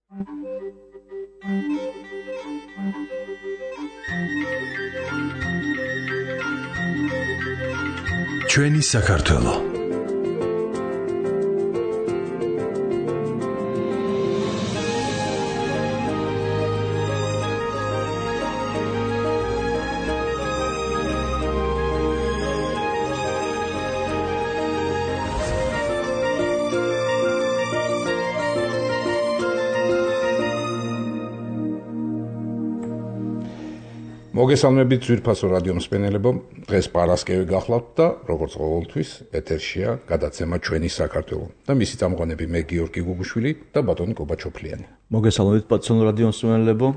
ჩვენი საქართველო. მოგესალმებით ძვირფასო რადიო მსმენელებო, დღეს პარასკევი გახლავთ და როგორც ყოველთვის ეთერშია გადაცემა ჩვენი საქართველო და მისი წამყვანები მე გიორგი გუგუშვილი და ბატონი კობაჩოფლიანი. მოგესალმებით პატიო რადიო მსმენელებო,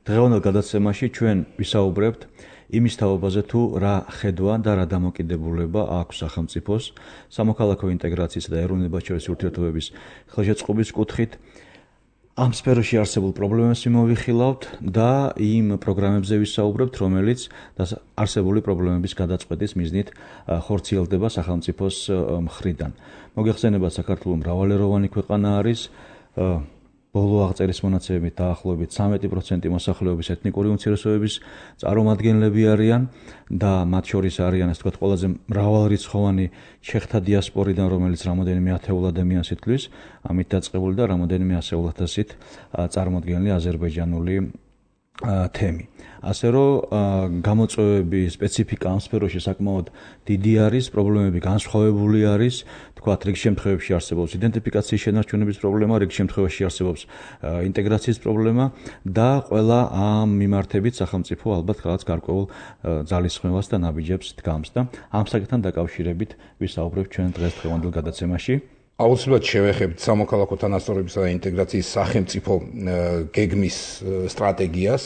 დღევანდელ გადაცემაში ჩვენ ვისაუბრებთ იმის თაობაზე თუ რა ხედვა და რა დამოკიდებულება აქვს სახელმწიფოს სამოქალაქო ინტეგრაციისა და ეროვნებად შორის ურთიერთობების ხელშეწყობის კუთხით. ამ სფეროში არსებულ პრობლემებს მოვიხილავთ და იმ პროგრამებზე ვისაუბრებთ, რომელიც არსებული პრობლემების გადაწყვეტის მიზნით ხორციელდება სახელმწიფოს მხრიდან. მოგეხსენებათ, საქართველო მრავალეროვანი ქვეყანა არის. ბოლო აღწერის მონაცემებით დაახლოებით 13% მოსახლეობის ეთნიკური უმცირესობების წარმომადგენლები არიან და მათ შორის არიან, ასე ვთქვათ, ყველაზე მრავალრიცხოვანი ჩეხთა დიასპორიდან, რომელიც რამოდენიმე ათეულ ადამიანს ითვლის, ამით დაწყებული და რამოდენიმე ასეულ ათასით წარმოდგენილი აზერბაიჯანული თემი. ასე რომ გამოწვევები, სპეციფიკა ამ სფეროში საკმაოდ დიდი არის, პრობლემები განსხვავებული არის, თქვათ, რიგ შემთხვევებში არსებობს იდენტიფიკაციის შენარჩუნების პრობლემა, რიგ შემთხვევაში არსებობს ინტეგრაციის პრობლემა და ყველა ამ მიმართებით სახელმწიფო ალბათ რაღაც გარკვეულ ძალისხმევას და ნაბიჯებს დგამს და ამ საკითხთან დაკავშირებით ვისაუბრებთ ჩვენ დღევანდელ გადაცემაში. აუცილებლად შევეხებთ სამოქალაქო თანასწორობისა და ინტეგრაციის სახელმწიფო გეგმის სტრატეგიას.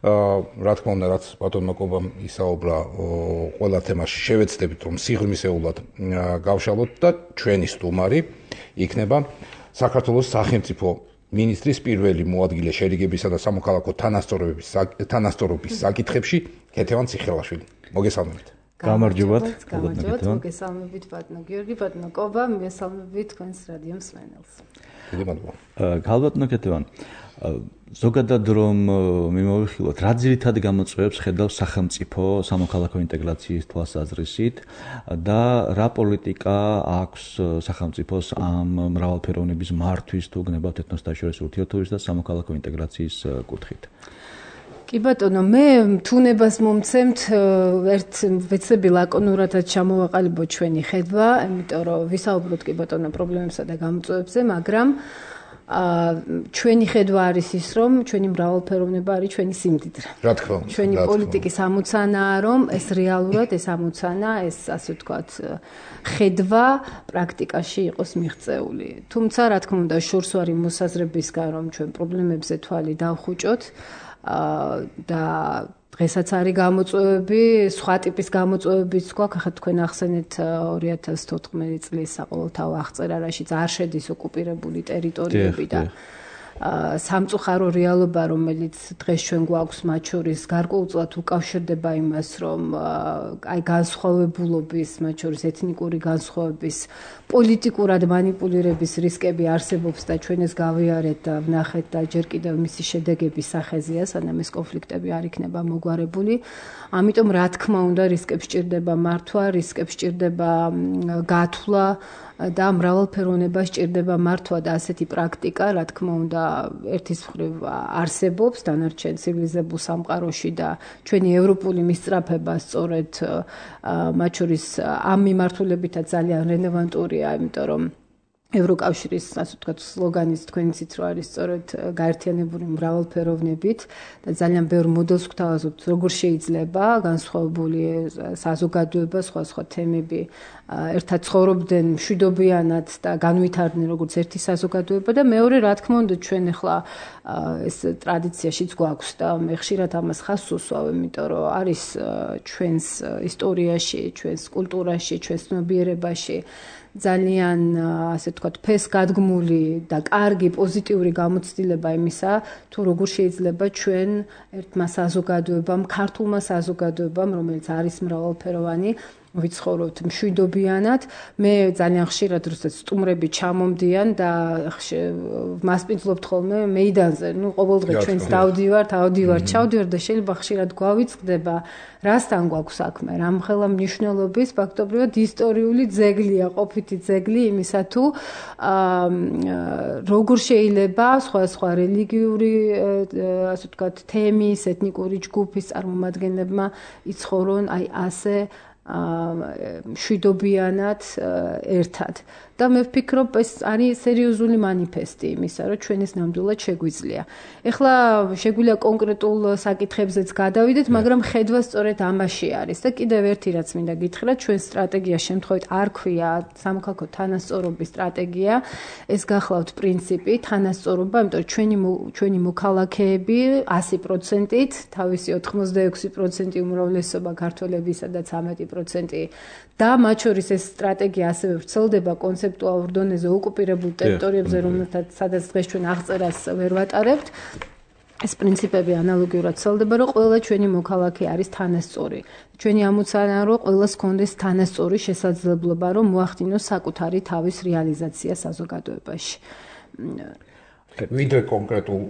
რა თქმა უნდა, რაც ბატონმა კობამ ისაუბრა, ყველა თემაში შევეცდებით, რომ სიღრმისეულად გავშალოთ და ჩვენი სტუმარი იქნება საქართველოს სახელმწიფო მინისტრის პირველი მოადგილე შერიგებისა და სამოქალაქო თანასწორობის საკითხებში ქეთევან ციხელაშვილი. მოგესალმებით. გამარჯობათ. მოგესალმებით ბატონო გიორგი, ბატონო კობა, მოგესალმებით თქვენს რადიო მსმენელს. დიდი მადლობა. გალბატონო ქეთევან, ზოგადად რომ მიმოვიხილოთ, რა ძირითად გამოწვევებს ხედავს სახელმწიფო სამოქალაქო ინტეგრაციის თვალსაზრისით და რა პოლიტიკა აქვს სახელმწიფოს ამ მრავალფეროვნების მართვის თუ გნებავთ ეთნოსთაშორისი ურთიერთობის და სამოქალაქო ინტეგრაციის კუთხით. კი ბატონო, მე თუნებას მომცემთ ერთ ვეცები ლაკონურადაც ჩამოვაყალიბოთ ჩვენი ხედვა, იმიტომ რომ ვისაუბროთ კი ბატონო პრობლემებსა და გამოწვევებზე, მაგრამ ჩვენი ხედვა არის ის, რომ ჩვენი მრავალფეროვნება არის ჩვენი სიმდიდრე. რა თქმა უნდა. ჩვენი პოლიტიკის ამოცანაა, რომ ეს რეალურად ეს ამოცანა, ეს ასე ვთქვათ, ხედვა პრაქტიკაში იყოს მიღწეული. თუმცა, რა თქმა უნდა, შორს ვარ იმ მოსაზრებისგან, რომ ჩვენ პრობლემებზე თვალი დავხუჭოთ და დღესაც არის გამოწვევები, სხვა ტიპის გამოწვევებიც გვაქვს. ახლა თქვენ ახსენეთ 2014 წლის საყოველთაო აღწერა, რაშიც არ შედის ოკუპირებული ტერიტორიები და სამწუხარო რეალობა, რომელიც დღეს ჩვენ გვაქვს, მათ შორის გარკვეულწილად უკავშირდება იმას, რომ აი განსხვავებულობის, მათ შორის ეთნიკური განსხვავების, პოლიტიკურად მანიპულირების რისკები არსებობს და ჩვენ ეს გავიარეთ და ვნახეთ და ჯერ კიდევ მისი შედეგების სახეზეა, სანამ ეს კონფლიქტები არ იქნება მოგვარებული. ამიტომ რა თქმა უნდა, რისკებს სჭირდება მართვა, რისკებს სჭირდება გათვლა და მრავალფეროვნება სჭირდება მართვა და ასეთი პრაქტიკა, რა თქმა უნდა, ერთის მხრივ არსებობს დანარჩენ ცივილიზებულ სამყაროში და ჩვენი ევროპული მისწრაფება სწორედ მათ შორის ამ მიმართულებითაც ძალიან რელევანტურია, იმიტომ რომ ევროკავშირის, ასე ვთქვათ, სლოგანის თქვენიცით რო არის სწორედ გაერთიანებული მრავალფეროვნებით და ძალიან ბევრ მოდელს გვთავაზობთ, როგორ შეიძლება განსხვავებული საზოგადოება, სხვა თემები ერთად ცხოვრობდნენ მშვიდობიანად და განვითარდნენ როგორც ერთი საზოგადოება და მეორე, რა თქმა უნდა, ჩვენ ახლა ეს ტრადიციაშიც გვაქვს და მე ხშირად ამას ხაზს უსვავ, იმიტომ რომ არის ჩვენს ისტორიაში, ჩვენს კულტურაში, ჩვენს ცნობიერებაში ძალიან ასე ვთქვათ ფესგადგმული და კარგი პოზიტიური გამოცდილება იმისა, თუ როგორ შეიძლება ჩვენ ერთმა საზოგადოებამ, ქართულმა საზოგადოებამ, რომელიც არის მრავალფეროვანი, ვიცხოვრობთ მშვიდობიანად. მე ძალიან ხშირად როდესაც სტუმრები ჩამომდიან და მასპინძლობთ ხოლმე მეიდანზე, ყოველდღე ჩვენს დავდივართ, ჩავდივართ და შეიძლება ხშირად გვავიწყდება, რასთან გვაქვს საქმე, რამხელა მნიშვნელობის ფაქტობრივად ისტორიული ძეგლია, ყოფითი ძეგლი იმისა თუ როგორ შეიძლება სხვა რელიგიური, ასე ვთქვათ, თემის, ეთნიკური ჯგუფის წარმომადგენლებმა იცხოვრონ აი ასე მშვიდობიანად ერთად. და მე ვფიქრობ, ეს არის სერიოზული მანიფესტი იმისა, რომ ჩვენ ეს ნამდვილად შეგვიძლია. ეხლა შეგვიძლია კონკრეტულ საკითხებზეც გადავიდეთ, მაგრამ ხედვა სწორედ ამაში არის. და კიდევ ერთი რაც მინდა გითხრათ, ჩვენ სტრატეგია შემთხვევით არ ქვია სამოქალაქო თანასწორობის სტრატეგია, ეს გახლავთ პრინციპი თანასწორობა, იმიტომ რომ ჩვენი მოქალაქეები 100%-ით, თავისი 86% უმრავლესობა ქართველებისა და 13% და მათ შორის ეს სტრატეგია ასევე ვრცელდება კონცეპტუალურ დონეზე ოკუპირებულ ტერიტორიებზე, რომელთაც სადაც დღეს ჩვენ აღწერას ვერ ვატარებთ. ეს პრინციპები ანალოგიურად ვრცელდება, რომ ყველა ჩვენი მოქალაქე არის თანასწორი. ჩვენი ამოცანაა, რომ ყველას ჰქონდეს თანასწორი შესაძლებლობა, რომ მოახდინოს საკუთარი თავის რეალიზაცია საზოგადოებაში. ვიდრე კონკრეტულ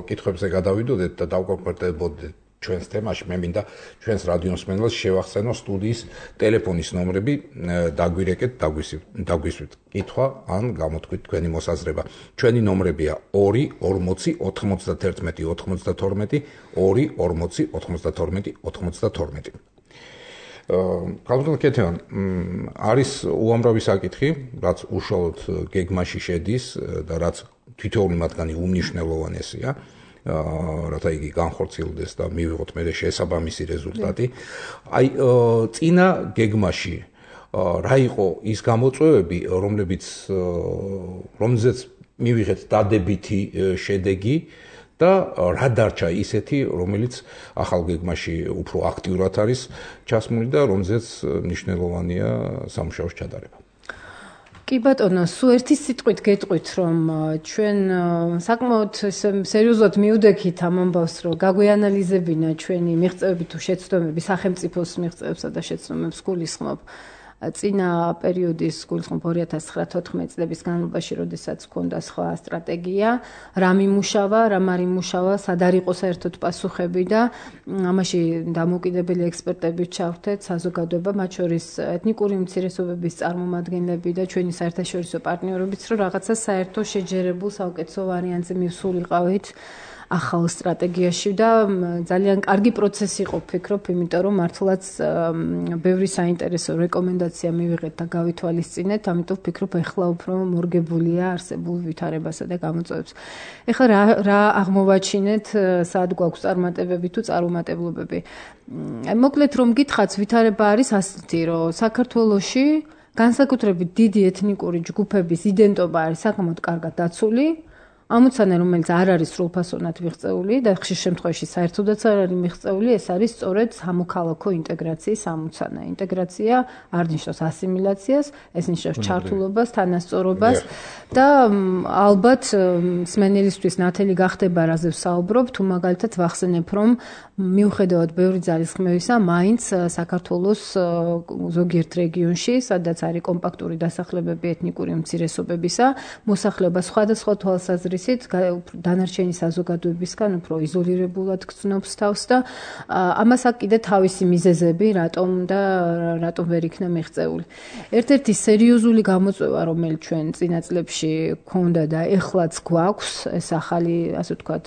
კითხვებზე გადავიდოდეთ და დავკონკრეტებოდეთ ჩვენს თემაში, მე მინდა ჩვენს რადიოსმენელს შევახსენო სტუდიის ტელეფონის ნომრები, დაგვირეკეთ, დაგვისვით კითხვა ან გამოთქვით თქვენი მოსაზრება. ჩვენი ნომრებია 2 40 91 92 2 40 92 92. კალბატონ კეთევან, არის უამრავი საკითხი, რაც უშუალოდ გეგმაში შედის და რაც თითოეული მათგანი უმნიშვნელოვანესია. რათა იგი განხორციელდეს და მივიღოთ მე შესაბამისი რეზულტატი. აი წინა გეგმაში რა იყო ის გამოწვევები, რომლებზეც მივიღეთ დადებითი შედეგი და რა დარჩა ისეთი, რომელიც ახალ გეგმაში უფრო აქტიურად არის ჩასმული და რომზეც მნიშვნელოვანია სამუშაოს ჩატარება. კი ბატონო, სულ ერთი სიტყვით გეტყვით, რომ ჩვენ საკმაოდ სერიოზულად მივდექით ამ ამბავს, რომ გაგვეანალიზებინა ჩვენი მიღწევები თუ შეცდომები სახელმწიფოს მიღწევებსა და შეცდომებს გულისხმობ. წინა პერიოდის გულისხმობ 2009-14 წლების განმავლობაში, როდესაც ჰქონდა სხვა სტრატეგია, რა მიმუშავა, რა არ იმუშავა, სად არ იყო საერთოდ პასუხები და ამაში დამოუკიდებელი ექსპერტები ჩავრთეთ, საზოგადოება, მათ შორის ეთნიკური უმცირესობების წარმომადგენლები და ჩვენი საერთაშორისო პარტნიორებიც, რომ რაღაცა საერთო შეჯერებულ საუკეთესო ვარიანტზე მივსულიყავით ახალ სტრატეგიაში და ძალიან კარგი პროცესი იყო, ვფიქრობ, იმიტომ რომ მართლაც ბევრი საინტერესო რეკომენდაცია მივიღეთ და გავითვალისწინეთ, ამიტომ ვფიქრობ, ეხლა უფრო მორგებულია არსებულ ვითარებასა და გამოწვევებს. ეხლა რა აღმოვაჩინეთ, სად გვაქვს წარმატებები თუ წარუმატებლობები. მოკლედ რომ გითხრათ, ვითარება არის ასეთი, რომ საქართველოში განსაკუთრებით დიდი ეთნიკური ჯგუფების იდენტობა არის საკმაოდ კარგად დაცული. ამოცანა, რომელიც არ არის სრულფასოვნად მიღწეული და ხშირ შემთხვევაში საერთოდაც არ არის მიღწეული, ეს არის სწორედ სამოქალაქო ინტეგრაციის ამოცანა. ინტეგრაცია არ ნიშნავს ასიმილაციას, ეს ნიშნავს ჩართულობას, თანასწორობას და ალბათ მსმენელისთვის ნათელი გახდება, რაზე ვსაუბრობ, თუ მაგალითად ვახსენებ, რომ მიუხედავად ბევრი ძალისხმევისა, მაინც საქართველოს ზოგიერთ რეგიონში, სადაც არის კომპაქტური დასახლებები ეთნიკური უმცირესობებისა, მოსახლეობა სხვადასხვა თვალსაზრისით დანარჩენი საზოგადოებისგან უფრო იზოლირებულად გრძნობს თავს და ამას აქვს კიდე თავისი მიზეზები, რატომ ვერ იქნა მიღწეული. ერთ-ერთი სერიოზული გამოწვევა, რომელიც ჩვენ წინა წლებში გქონდა და ეხლაც გვაქვს, ეს ახალი, ასე ვთქვათ,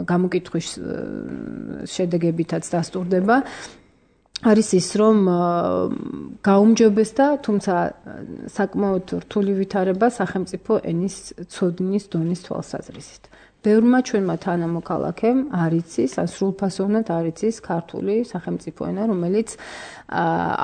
გამოკითხვის შედეგებითაც დასტურდება, არის ის, რომ გაუმჯობესდა, თუმცა საკმაოდ რთული ვითარება სახელმწიფო ენის ცოდნის დონის თვალსაზრისით. ბევრმა ჩვენმა თანამოქალაქემ არ იცის, ან სრულფასოვნად არ იცის ქართული სახელმწიფო ენა, რომელიც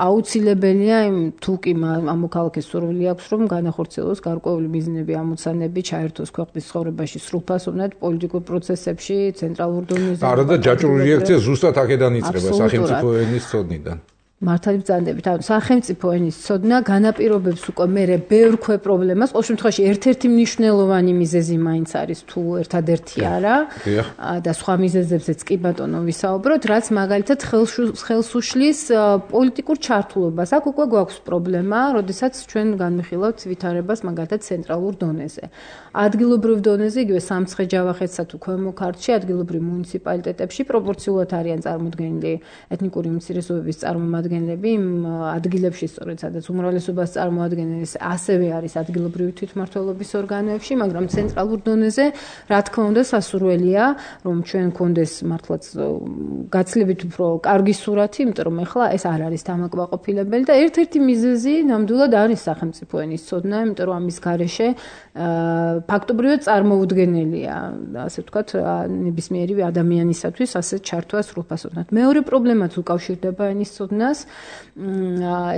აუცილებელია თუ კი ამ მოქალაქეს სურვილი აქვს, რომ განახორციელოს გარკვეული მიზნები, ამოცანები, ჩაერთოს ქვეყნის ცხოვრებაში სრულფასოვნად პოლიტიკურ პროცესებში, ცენტრალურ დონეზე. არა და ჯაჭვური რეაქცია ზუსტად აქედან იწყება სახელმწიფო ენის ცოდნიდან. მართალი ბრძანდებით. ანუ სახელმწიფო ენის ცოდნა განაპირობებს უკვე მერე ბევრ ქვე პრობლემას. ყოველ შემთხვევაში ერთ-ერთი მნიშვნელოვანი მიზეზი მაინც არის თუ ერთადერთი არა და სხვა მიზეზებზეც კი ბატონო ვისაუბროთ, რაც მაგალითად ხელს უშლის პოლიტიკურ ჩართულობას. აქ უკვე გვაქვს პრობლემა, როდესაც ჩვენ განვიხილავთ ვითარებას მაგალითად ცენტრალურ დონეზე. ადგილობრივ დონეზე, იგივე სამცხე-ჯავახეთსა თუ ქვემო ქართლში, ადგილობრივ მუნიციპალიტეტებში პროპორციულად არიან წარმოდგენილი ეთნიკური უმცირესობების წარმომადგენლები იმ ადგილებში, სწორედ სადაც უმრავლესობას წარმოადგენენ, ასევე არის ადგილობრივი თვითმმართველობის ორგანოებში, მაგრამ ცენტრალურ დონეზე, რა თქმა უნდა, სასურველია, რომ ჩვენ გქონდეს მართლაც გაცილებით უფრო კარგი სურათი, იმიტომ რომ ეხლა ეს არ არის დამაკმაყოფილებელი და ერთ-ერთი მიზეზი ნამდვილად არის სახელმწიფო ენის ცოდნა, იმიტომ რომ ამის გარეშე ფაქტობრივად წარმოუდგენელია, ასე ვთქვათ, ნებისმიერი ადამიანისათვის ასე ჩართვა სრულფასოვნად. მეორე პრობლემაც უკავშირდება ენის ცოდნას,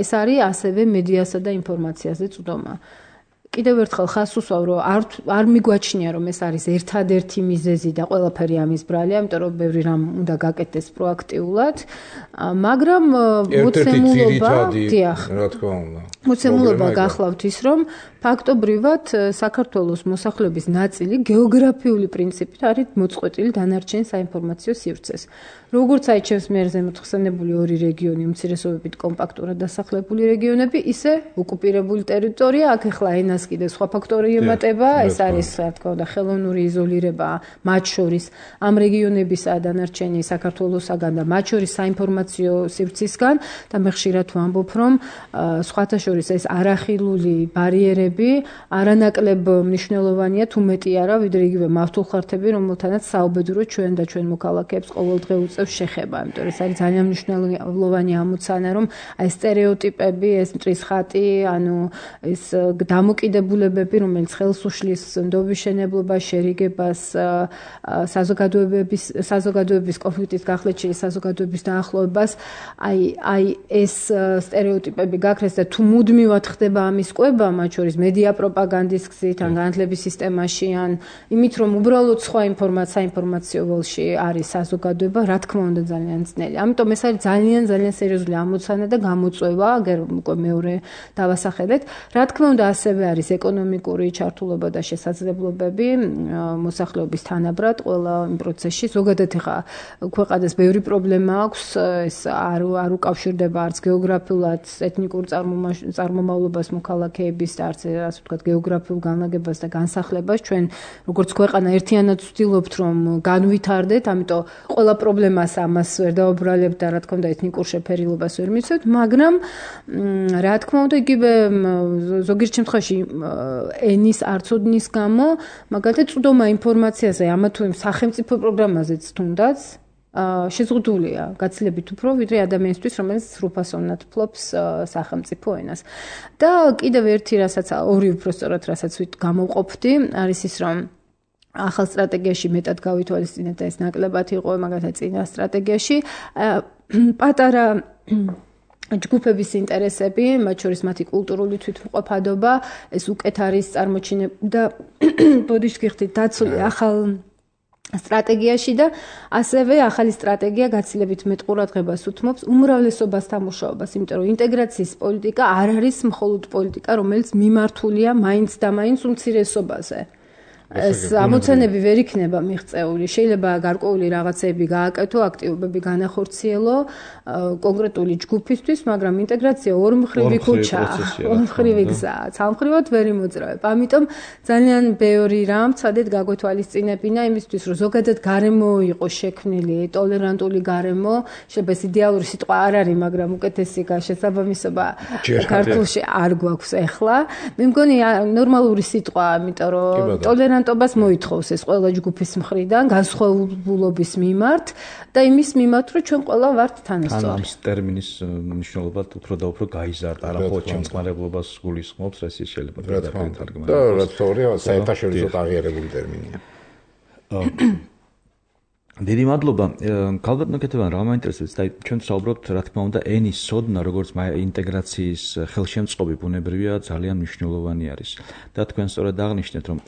ეს არის ასევე მედიასა და ინფორმაციაზე წვდომა. კიდევ ერთხელ ხას უსვავ, რომ არ მიგვაჩნია, რომ ეს არის ერთადერთი მიზეზი და ყველაფერი ამის ბრალია, იმიტომ რომ ბევრი რამ უნდა გაკეთდეს პროაქტიულად, მაგრამ მოცემულობა გახლავთ ის, რომ ფაქტობრივად საქართველოს მოსახლეობის ნაწილი გეოგრაფიული პრინციპით არის მოწყვეტილი დანარჩენ საინფორმაციო სივრცეს. როგორც აიჩევს მიერ ზემოთ ხსენებული ორი რეგიონი, უმცირესობებით კომპაქტურად დასახლებული რეგიონები, ისე ოკუპირებული ტერიტორია, აქ ახლა ენას კიდე სხვა ფაქტორი ემატება, ეს არის, რა თქმა უნდა, ხელოვნური იზოლირება მათ შორის ამ რეგიონებისა დანარჩენი საქართველოსაგან და მათ შორის საინფორმაციო სივრცისგან და მე ხშირად ვამბობ, რომ სხვათა შორის ეს არახილული ბარიერები არანაკლებ მნიშვნელოვანია, თუ მეტი არა, ვიდრე იგივე მავთულხართები, რომელთანაც საუბედურო ჩვენ და ჩვენ მოქალაქეებს ყოველდღე უწევს შეხება, იმიტომ რომ ეს არის ძალიან მნიშვნელოვანი ამოცანა, რომ აი სტერეოტიპები, ეს მტრის ხატი, ანუ ეს დამოკიდებულებები, რომელიც ხელს უშლის ნდობის შენებლობას, შერიგებას, საზოგადოების კონფლიქტის გახლეჩილი საზოგადოების დაახლოებას, აი ეს სტერეოტიპები გაქრეს და თუ მუდმივად ხდება ამის კვება, მათ შორის მედია პროპაგანდის გზით, ან განათლების სისტემაში, ან იმით, რომ უბრალოდ სხვა საინფორმაციო ველში არის საზოგადოება, რა თქმა უნდა ძალიან ძნელი. ამიტომ ეს არის ძალიან სერიოზული ამოცანა და გამოწვევა, აგერ უკვე მეორე დავასახელეთ. რა თქმა უნდა, ასევე არის ეკონომიკური ჩართულობა და შესაძლებლობები მოსახლეობის თანაბრად ყველა იმ პროცესში. ზოგადად ეხა ქვეყანას ბევრი პრობლემა აქვს, ეს არ უკავშირდება არც გეოგრაფიულად ეთნიკურ წარმომავლობას მოქალაქეების და არც ასე ვთქვათ გეოგრაფიულ განლაგებას და განსახლებას. ჩვენ როგორც ქვეყანა ერთიანად ვცდილობთ, რომ განვითარდეთ, ამიტომ ყველა პრობლემას ამას ვერ დაუბრალებთ და რა თქმა უნდა ეთნიკურ შეფერილობას ვერ მიცევთ, მაგრამ რა თქმა უნდა იგივე ზოგიერთ შემთხვევაში ენის არცოდნის გამო მაგალითად წვდომა ინფორმაციაზე ამა თუ იმ სახელმწიფო პროგრამაზეც თუნდაც შეზღუდულია გაცილებით უფრო ვიდრე ადამიანისთვის, რომელიც სრულფასოვნად ფლობს სახელმწიფო ენას. და კიდევ ერთი რასაც ორი უბრალოდ რასაც გამოვყოფდი, არის ის, რომ ახალ სტრატეგიაში მეტად გავითვალისწინეთ და ეს ნაკლებად იყო მაგალითად წინა სტრატეგიაში პატარა ჯგუფების ინტერესები, მათ შორის მათი კულტურული თვითმყოფადობა, ეს უკეთ არის წარმოჩინებული და ბოდიშს გიხდით დაცული ახალ სტრატეგიაში და ასევე ახალი სტრატეგია გაცილებით მეტ ყურადღებას უთმობს უმრავლესობასთან მუშაობას, იმიტომ რომ ინტეგრაციის პოლიტიკა არ არის მხოლოდ პოლიტიკა, რომელიც მიმართულია მაინც და მაინც უმცირესობაზე. ეს ამოცანები ვერ იქნება მიღწეული. შეიძლება გარკვეული რაღაცები გააკეთო, აქტივობები განახორციელო კონკრეტული ჯგუფისთვის, მაგრამ ინტეგრაცია ორმხრივი ქუჩა, ორმხრივი გზა, სამხრივად ვერ იმოძრავებ. ამიტომ ძალიან ბევრი რამ ცადეთ გაგვეთვალისწინებინა იმისთვის, რომ ზოგადად გარემო იყო შექმნილი, ტოლერანტული გარემო, შეიძლება ეს იდეალური სიტყვა არ არის, მაგრამ უკეთესი შესაბამისობა ქართულში არ გვაქვს ახლა. მე მგონი ნორმალური სიტყვა, იმიტომ რომ ტოლერანტობას მოითხოვს ეს ყველა ჯგუფის მხრიდან, განსხვავებულობის მიმართ და იმის მიმართ, რომ ჩვენ ყველა ვართ თანასწორი. ამ ტერმინის მნიშვნელობა უფრო და უფრო გაიზარდა, არამხოლოდ ჩემწყნარებლობას გულისხმობს, ეს შეიძლება გადაგეთარგმნას. და რა თქმა უნდა, საერთაშორისო აღიარებული ტერმინია. დიდი მადლობა. ქალბატონო კეთებან რა მაინტერესებს და ჩვენ ვსაუბრობთ რა თქმა უნდა ენის ცოდნა როგორც ინტეგრაციის ხელშემწყობი ბუნებრივია ძალიან მნიშვნელოვანი არის. და თქვენ სწორად აღნიშნეთ რომ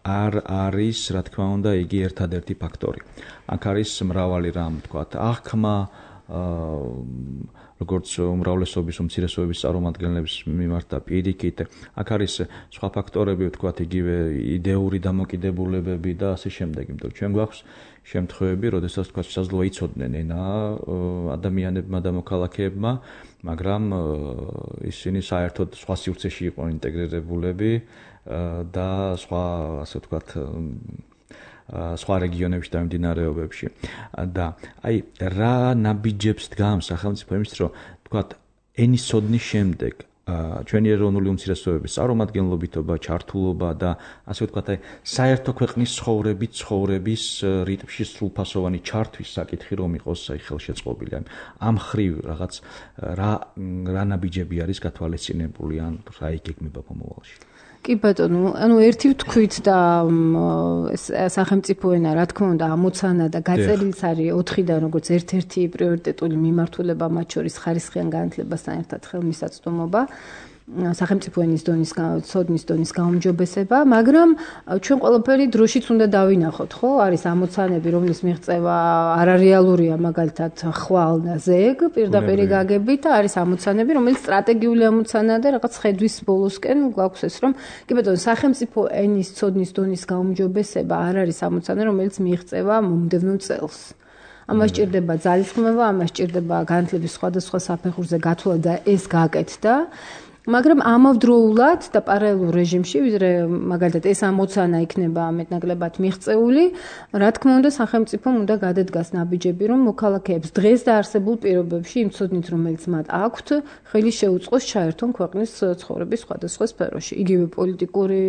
არ არის რა თქმა უნდა იგი ერთადერთი ფაქტორი. აქ არის მრავალი რამ, თქვათ, აღქმა, როგორც უმრავლესობის უმცირესობების წარმომადგენლების მიმართ და პირიქით. აქ არის სხვა ფაქტორები, ვთქვათ, იგივე იდეური დამოკიდებულებები და ასე შემდეგ, იმიტომ რომ ჩვენ გვაქვს შემთხვევები, როდესაც თქვა შესაძლოა იცოდნენ ენა ადამიანებმა და მოქალაქეებმა, მაგრამ ისინი საერთოდ სხვა სივრცეში იყვნენ ინტეგრირებულები და სხვა, ასე ვთქვათ, სხვა რეგიონებში და მიმდინარეობებში. და აი რა ნაბიჯებს დგამს სახელმწიფო იმის, რომ ვთქვათ, ენის ცოდნის შემდეგ ჩვენი ეროვნული უმცირესობების წარმომადგენლობითობა, ჩართულობა და ასე ვთქვათ, აი საერთო ქვეყნის ცხოვრების რიტმში სრულფასოვანი ჩართვის საკითხი რომ იყოს აი ხელშეწყობილი. ამ ხრივ რაღაც რა ნაბიჯები არის გათვალისწინებული ან რა იგეგმება მომავალში? კი ბატონო, ერთი ვთქვით და სახელმწიფო ენა, რა თქმა უნდა, ამოცანა და გაწერილიც არის 4-დან, როგორც ერთ-ერთი პრიორიტეტული მიმართულება, მათ შორის ხარისხიან განათლებასთან ერთად ხელმისაწვდომობა, სახელმწიფო ენის დონის ცოდნის დონის გაუმჯობესება, მაგრამ ჩვენ ყველაფერი დროშიც უნდა დავინახოთ, ხო? არის ამოცანები, რომლის მიღწევა არარეალურია, მაგალითად, ხვალ და ზეგ, პირდაპირი გაგებით და არის ამოცანები, რომელიც სტრატეგიული ამოცანაა და რაღაც ხედვის ბოლოსკენ გვაქვს ეს, რომ კი ბატონო, სახელმწიფო ენის ცოდნის დონის გაუმჯობესება არ არის ამოცანა, რომელიც მიღწევა მომდევნო წელს. ამას სჭირდება ძალისხმევა, ამას სჭირდება განათლების სხვადასხვა საფეხურზე გათვლა და ეს გაკეთდა. მაგრამ ამავდროულად და პარალელურ რეჟიმში, ვიდრე მაგალითად ეს ამოცანა იქნება მეტნაკლებად მიღწეული, რა თქმა უნდა, სახელმწიფომ უნდა გადადგას ნაბიჯები, რომ მოქალაქეებს დღეს და არსებულ პირობებში იმ ცოდნით, რომელიც მათ აქვთ, ხელი შეუწყოს ჩაერთონ ქვეყნის ცხოვრების სხვადასხვა სფეროში, იგივე პოლიტიკური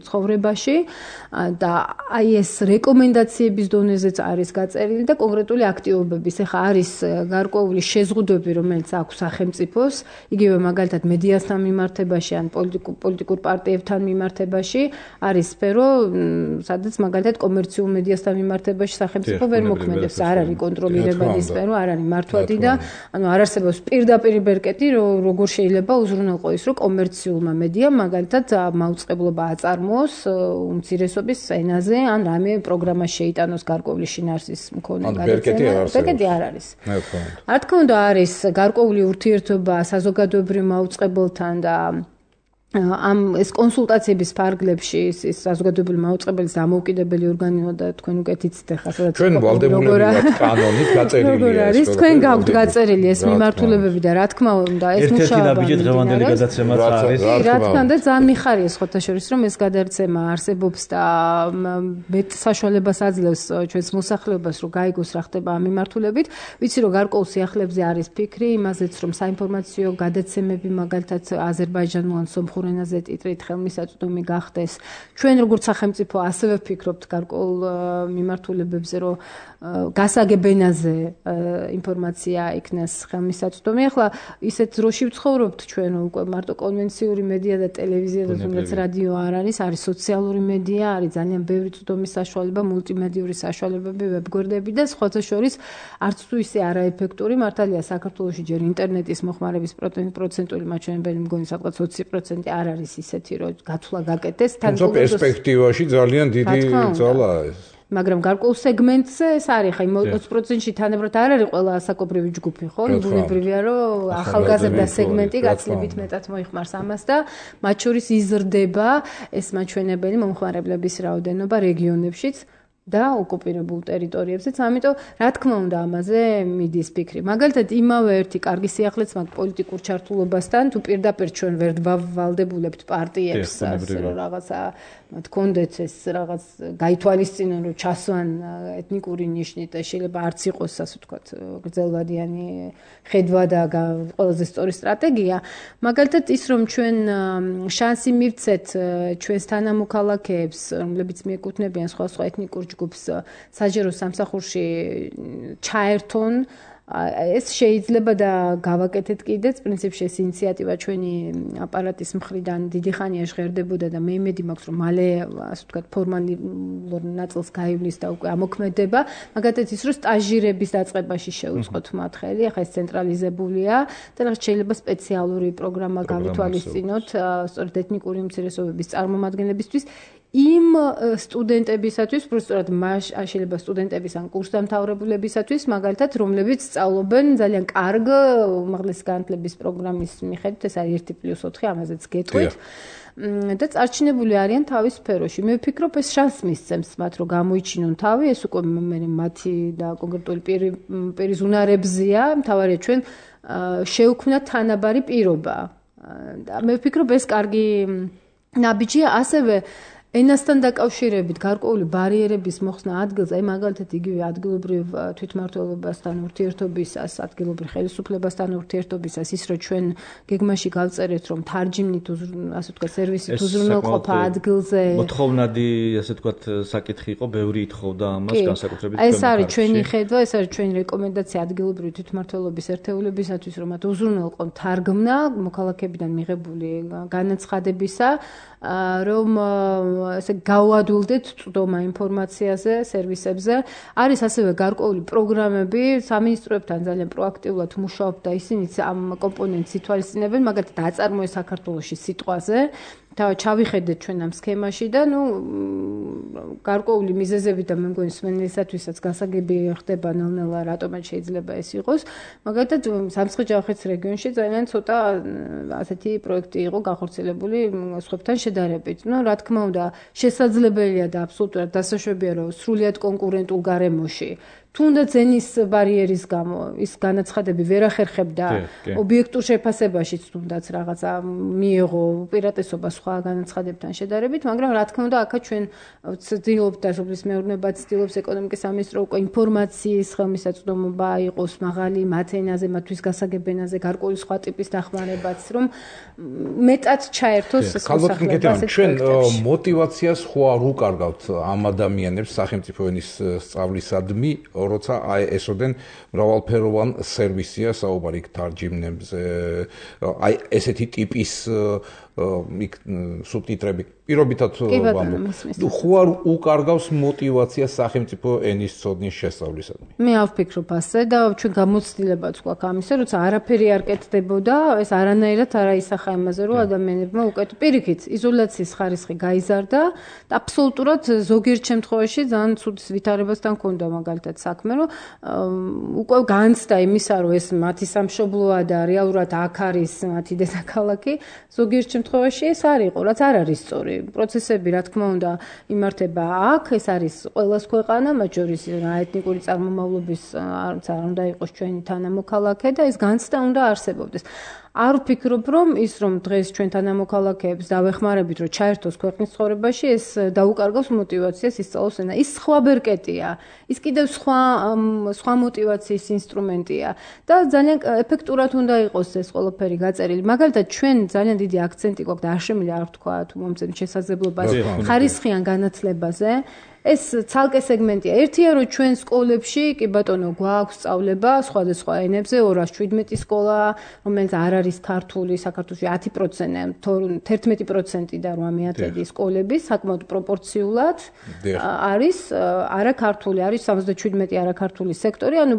ცხოვრებაში და აი ეს რეკომენდაციების დონეზეც არის გაწერილი და კონკრეტული აქტივობების. ეხლა არის გარკვეული შეზღუდვები, რომელიც აქვს სახელმწიფოს, იგივე მაგალითად მედიასთან მიმართებაში ან პოლიტიკურ პარტიებთან მიმართებაში არის სფერო, სადაც მაგალითად კომერციულ მედიასთან მიმართებაში სახელმწიფო ვერ მოქმედებს, არ არის კონტროლირებადი სფერო, არ არის მართვადი და ანუ არ არსებობს პირდაპირ ბერკეტი, როგორ შეიძლება უზრუნველყო ის, რომ კომერციულმა მედიამ მაგალითად მაუწყებლობა აწარმოოს უმცირესობის ენაზე ან რამე პროგრამა შეიტანოს გარკვეული შინაარსის მქონე გადაცემა. ბერკეტი არ არის. რა თქმა უნდა, არის გარკვეული ურთიერთობა საზოგადოებრივ მაუწყებელთან და ამ ეს კონსულტაციების ფარგლებში ის საზოგადოებრივი მაუწყებელის დამოუკიდებელი ორგანოა და თქვენ უკეთ იცით ახლა სადაც ჩვენ ვალდებულები ვართ კანონით გაწერილი არის თქვენ გაქვთ გაწერილი ეს მიმართულებები და რა თქმა უნდა ეს მუშაობა ერთ-ერთი ნაბიჯი დღევანდელი გადაცემაც არის რა თქმა უნდა ძალიან მიხარია სხვათა შორის რომ ეს გადაცემა არსებობს და მეტ საშუალებას აძლევს ჩვენს მოსახლეობას რომ გაიგოს რა ხდება ამ მიმართულებით ვიცი რომ გარკვეულ სიახლეებზე არის ფიქრი იმაზეც რომ საინფორმაციო გადაცემები მაგალითად აზერბაიჯანულ ან სომხურ ენაზე ტიტრით ხელმისაწვდომი გახდეს. ჩვენ როგორც სახელმწიფო ასევე ვფიქრობთ გარკვეულ მიმართულებებზე, რომ გასაგებ ენაზე ინფორმაცია იქნას ხელმისაწვდომი. ახლა ისეთ დროში ვცხოვრობთ ჩვენ უკვე მარტო კონვენციური მედია და ტელევიზია და თუნდაც რადიო არ არის, არის სოციალური მედია, არის ძალიან ბევრი წვდომის საშუალება, მულტიმედიური საშუალებები, ვებგვერდები და სხვათა შორის არც თუ ისე არაეფექტური მართალია საქართველოში ჯერ ინტერნეტის მოხმარების პროცენტული მაჩვენებელი მგონი სადღაც 20% არ არის ისეთი, რომ გათვლა გაკეთდეს. თუმცა პერსპექტივაში ძალიან დიდი ძალაა ეს. მაგრამ გარკვეულ სეგმენტზე ეს არის, ხა 20%-ში თანაბრად არ არის ყველა ასაკობრივი ჯგუფი, ხო? ბუნებრივია, რომ ახალგაზრდა სეგმენტი გაცილებით მეტად მოიხმარს ამას და მათ შორის იზრდება ეს მაჩვენებელი მომხმარებლების რაოდენობა რეგიონებშიც და ოკუპირებულ ტერიტორიებზეც. ამიტომ რა თქმა უნდა ამაზე მიდის ფიქრი. მაგალითად იმავე ერთი კარგი სიახლეც მაგ პოლიტიკურ ჩართულობასთან თუ პირდაპირ ჩვენ ვერ ვალდებულებთ პარტიებს რომ რაღაცა მათქონდეთ ეს რაღაც გაითვალისწინონ რომ ჩასვან ეთნიკური ნიშნით და შეიძლება არც იყოს ასე ვთქვათ გრძელვადიანი ხედვა და ყველაზე სწორი სტრატეგია. მაგალითად ის რომ ჩვენ შანსი მივცეთ ჩვენს თანამოქალაქეებს რომლებიც მიეკუთვნებიან სხვა ეთნიკურ ჯგუფს საჯარო სამსახურში ჩაერთონ ეს შეიძლება და გავაკეთეთ კიდეც პრინციპში ეს ინიციატივა ჩვენი აპარატის მხრიდან დიდი ხანია ჟღერდებოდა და მე იმედი მაქვს რომ მალე ასე ვთქვათ ფორმალურ ნაწილს გაივლის და უკვე ამოქმედება მაგალითად ის რომ სტაჟირების დაწყებაში შეუწყოთ მათ ხელი ახლა ეს ცენტრალიზებულია და რაღაც შეიძლება სპეციალური პროგრამა გავითვალისწინოთ სწორედ ეთნიკური უმცირესობების წარმომადგენლებისთვის იმ სტუდენტებისათვის, უბრალოდ შეიძლება სტუდენტების ან კურსდამთავრებულებისათვის, მაგალითად, რომლებიც სწავლობენ ძალიან კარგ უმაღლესი განათლების პროგრამის მიხედვით, ეს არის 1+4, ამაზეც გეტყვით. და წარჩინებული არიან თავის სფეროში. მე ვფიქრობ, ეს შანსს მისცემს მათ, რომ გამოიჩინონ თავი, ეს უკვე მათი და კონკრეტული პირის უნარებზია, მთავარია ჩვენ შევქმნათ თანაბარი პირობა. და მე ვფიქრობ, ეს კარგი ნაბიჯია, ასევე ენასთან დაკავშირებით გარკვეული ბარიერების მოხსნა ადგილზე, აი მაგალითად იგივე ადგილობრივ თვითმმართველობასთან ურთიერთობისას, ადგილობრივ ხელისუფლებასთან ურთიერთობისას, ის რომ ჩვენ გეგმაში გავწერეთ, რომ თარჯიმნით, ასე ვთქვათ, სერვისით უზრუნველყოფა ადგილზე. მოთხოვნადი, ასე ვთქვათ, საკითხი იყო, ბევრი ითხოვდა ამას განსაკუთრებით. ეს არის ჩვენი ხედვა, ეს არის ჩვენი რეკომენდაცია ადგილობრივი თვითმმართველობის ერთეულებისათვის, რომ მათ უზრუნველყონ თარგმნა მოქალაქეებიდან მიღებული განაცხადებისა, რომ ესე გავადვილდეთ წვდომა ინფორმაციაზე, სერვისებზე. არის ასევე გარკვეული პროგრამები, სამინისტროებთან ძალიან პროაქტიულად მუშაობთ და ისინიც ამ კომპონენტს ითვალისწინებენ, მაგალითად, აწარმოე საქართველოში სიტყვაზე. ჩავიხედეთ ჩვენ ამ სქემაში და გარკვეული მიზეზები და მე მგონი სმენელისათვისაც გასაგები ხდება ნელ-ნელა, რატომაც შეიძლება ეს იყოს. მაგალითად, სამცხე-ჯავახეთის რეგიონში ძალიან ცოტა ასეთი პროექტი იყო განხორციელებული სხვებთან შედარებით. რა თქმა უნდა, შესაძლებელია და აბსოლუტურად დასაშვებია, რომ სრულიად კონკურენტულ გარემოში თუნდაც ენის ბარიერის გამო ის განაცხადები ვერ ახერხებდა ობიექტურ შეფასებაშიც თუნდაც რაღაცა მიიღო უპირატესობა სხვა განაცხადებთან შედარებით, მაგრამ რა თქმა უნდა, აქაც ჩვენ ვცდილობთ და სოფლის მეურნეობა ცდილობს ეკონომიკის სამინისტრო უკვე ინფორმაციის ხელმისაწვდომობა იყოს მაღალი მათ ენაზე, მათთვის გასაგებ ენაზე, გარკვეული სხვა ტიპის დახმარებაც, რომ მეტად ჩაერთოს მოსახლეობა. ჩვენ мотивაციას ხო არ უკარგავთ ამ ადამიანებს სახელმწიფო ენის სწავლისადმი, როცა აი ესოდენ მრავალფეროვან სერვისია საუბარი თარჯიმნებზე, აი ესეთი ტიპის სუბტიტრები პირობითად ვამბობ. ხო არ უკარგავს мотивაციას სახელმწიფო ენის ცოდნის შესწავლისადმი. მე არ ვფიქრობ ასე და ჩვენ გამოცდილებაც გვაქვს ამისა, როცა არაფერი არ კეთდებოდა, ეს არანაირად არ აისახა იმაზე, რომ ადამიანებმა უკეთ პირიქით იზოლაციის ხარისხი გაიზარდა და აბსოლუტურად ზოგიერთ შემთხვევაში ძალიან ცუდი ვითარებასთან ჰქონდა მაგალითად საქმე, რომ უკვე განცდა იმისა, რომ ეს მათი სამშობლოა და რეალურად აქ არის მათი დედაქალაქი, ზოგიერთ შემთხვევაში ეს არ იყო, რაც არ არის სწორი. პროცესები, რა თქმა უნდა, იმართება აქ, ეს არის ყველას ქვეყანა, მათ შორის ეთნიკური წარმომავლობის არც არ უნდა იყოს ჩვენი თანამოქალაქე და ეს განცდა უნდა არსებობდეს. არ ვფიქრობ, რომ ის რომ დღეს ჩვენ თანამოქალაქეებს დავეხმარებით, რომ ჩაერთოს ქვეყნის ცხოვრებაში, ეს დაუკარგავს мотивაციას ისწავლოს ენა. ის სხვა ბერკეტია, ის კიდევ სხვა мотивაციის ინსტრუმენტია და ძალიან ეფექტურად უნდა იყოს ეს ყველაფერი გაწერილი. მაგალითად, ჩვენ ძალიან დიდი აქცენტი გვაქვს და არ შემიძლია არ ვთქვა თუ მომწევს შესაძლებლობას ხარისხიან განათლებაზე. ეს ცალკე სეგმენტია. ერთია, რომ ჩვენ სკოლებში, კი ბატონო, გვაქვს სწავლება სხვადასხვა ენებზე, 217 სკოლა, რომელიც არ არის ქართული, საქართველოში 10%, 11% და 8% სკოლების, საკმაოდ პროპორციულად არის არაქართული, არის 77 არაქართული სექტორი, ანუ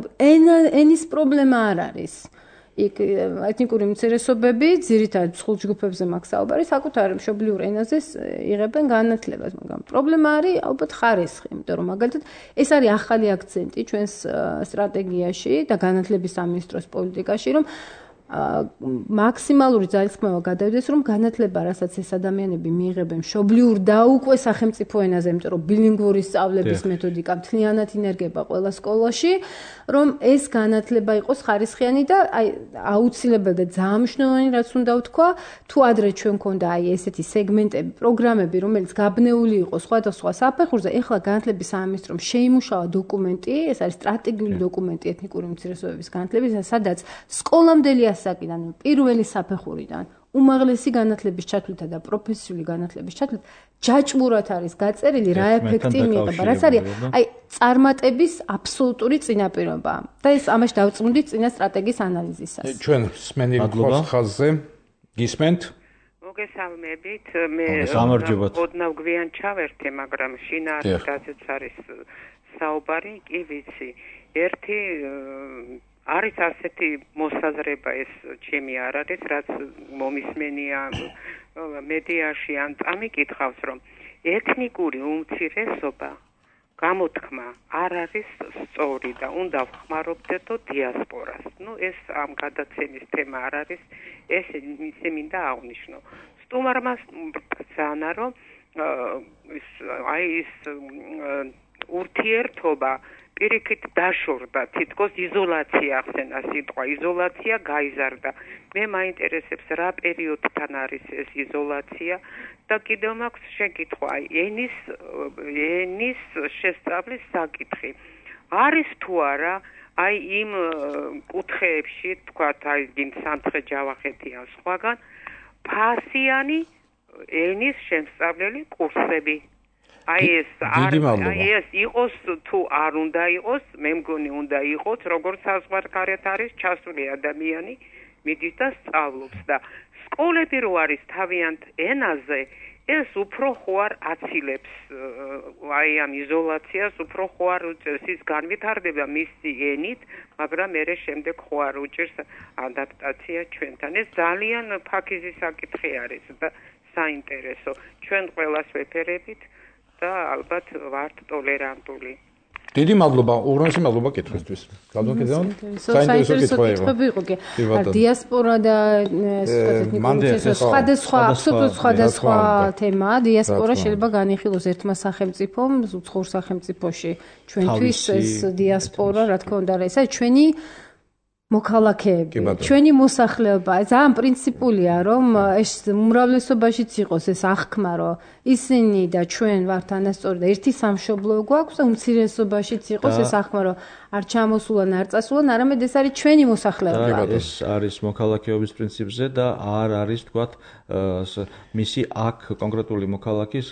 ენის პრობლემა არ არის. ეთნიკური უმცირესობები ძირითადად სხულჯგუფებზე მაქვს საუბარი, საკუთარ მშობლიურ ენაზე იღებენ განათლებას, მაგრამ პრობლემა არის ალბათ ხარისხი, იმიტომ რომ მაგალითად ეს არის ახალი აქცენტი ჩვენს სტრატეგიაში და განათლების სამინისტროს პოლიტიკაში, რომ მაქსიმალური ძალისხმევა გადავიდეს, რომ განათლება, რასაც ეს ადამიანები მიიღებენ მშობლიურ და უკვე სახელმწიფო ენაზე, იმიტომ რომ ბილინგვური სწავლების მეთოდიკა მთლიანად ინერგება ყველა სკოლაში, რომ ეს განათლება იყოს ხარისხიანი და აი აუცილებელი და ძალიან მნიშვნელოვანი რაც უნდა ვთქვა, თუ ადრე ჩვენ მქონდა აი ესეთი სეგმენტები, პროგრამები, რომელიც გაბნეული იყო სხვადასხვა საფეხურზე, ეხლა განათლების სამინისტრომ შეიმუშავა დოკუმენტი, ეს არის სტრატეგიული დოკუმენტი ეთნიკური უმცირესობების განათლებისა, სადაც სკოლამდელი ასაკიდან, პირველი საფეხურიდან უმაღლესი განათლების ჩათვლითა და პროფესიული განათლების ჩათვლით ჯაჭვურად არის გაწერილი რა ეფექტი მიიღება, რაც არის აი წარმატების აბსოლუტური წინაპირობა. და ეს ამაში დავწმუნდით წინა სტრატეგიის ანალიზისას. ჩვენ სმენელი გვაქვს ხაზზე. გისმენთ? მოგესალმებით. მე ოდნავ გვიან ჩავერთე, მაგრამ შინაარსით რაზეც არის საუბარი, კი ვიცი. ერთი არის ასეთი მოსაზრება, ეს ჩემი არ არის, რაც მომისმენია მედიაში ან წამიკითხავს, რომ ეთნიკური უმცირესობა გამოთქმა არ არის სწორი და უნდა ვხმარობდეთო დიასპორას. ეს ამ გადაცემის თემა არ არის, ესე მინდა აღვნიშნო. სტუმარმა ბრძანა, რომ ის ურთიერთობა პირიქით დაშორდა, თითქოს იზოლაცია ახსენა სიტყვა, იზოლაცია გაიზარდა. მე მაინტერესებს რა პერიოდთან არის ეს იზოლაცია და კიდევ მაქვს შეკითხვა, ენის შესწავლის საკითხი. არის თუ არა აი იმ კუთხეებში, თქვათ, აი გინ სამცხე-ჯავახეთი ან სხვაგან ფასიანი ენის შემსწავლელი კურსები. აი ეს იყოს თუ არ უნდა იყოს, მე მგონი უნდა იყოს, როგორც საზღვარგარეთ არის ჩასული ადამიანი, მიდის და სწავლობს და სკოლები რო არის თავიანთ ენაზე, ეს უფრო ხوار აცილებს აი ამ იზოლაციას, უფრო ხوار უწევს ის განვითარდება მისი ენით, მაგრამ მერე შემდეგ ხوار უჭერს ადაპტაცია ჩვენთან. ეს ძალიან ფაქიზი საკითხი არის და საინტერესო. ჩვენ ყველას ვეფერებით და ალბათ ვართ ტოლერანტული. დიდი მადლობა, უღრმესი მადლობა კითხვისთვის. გადმოგეძავ? საინტერესო კითხვები იყო. დიასპორა და სხვადასხვა თემა. დიასპორა შეიძლება განიხილოს ერთმა სახელმწიფომ, უცხოურ სახელმწიფოში. ჩვენთვის ეს დიასპორა, რა თქმა უნდა, ეს არის ჩვენი მოქალაქეები, ჩვენი მოსახლეობა. ძალიან პრინციპულია, რომ ეს უმრავლესობაშიც იყოს ეს აღქმა, რომ ისინი და ჩვენ ვართ ანასწორი და ერთი სამშობლო გვაქვს და უმცირესობაშიც იყოს ეს აღქმა, რომ არ ჩამოსულან, არ წასულან, არამედ ეს არის ჩვენი მოსახლეობა. ეს არის მოქალაქეობის პრინციპზე და არ არის, თქვათ, მისი აქ კონკრეტული მოქალაქის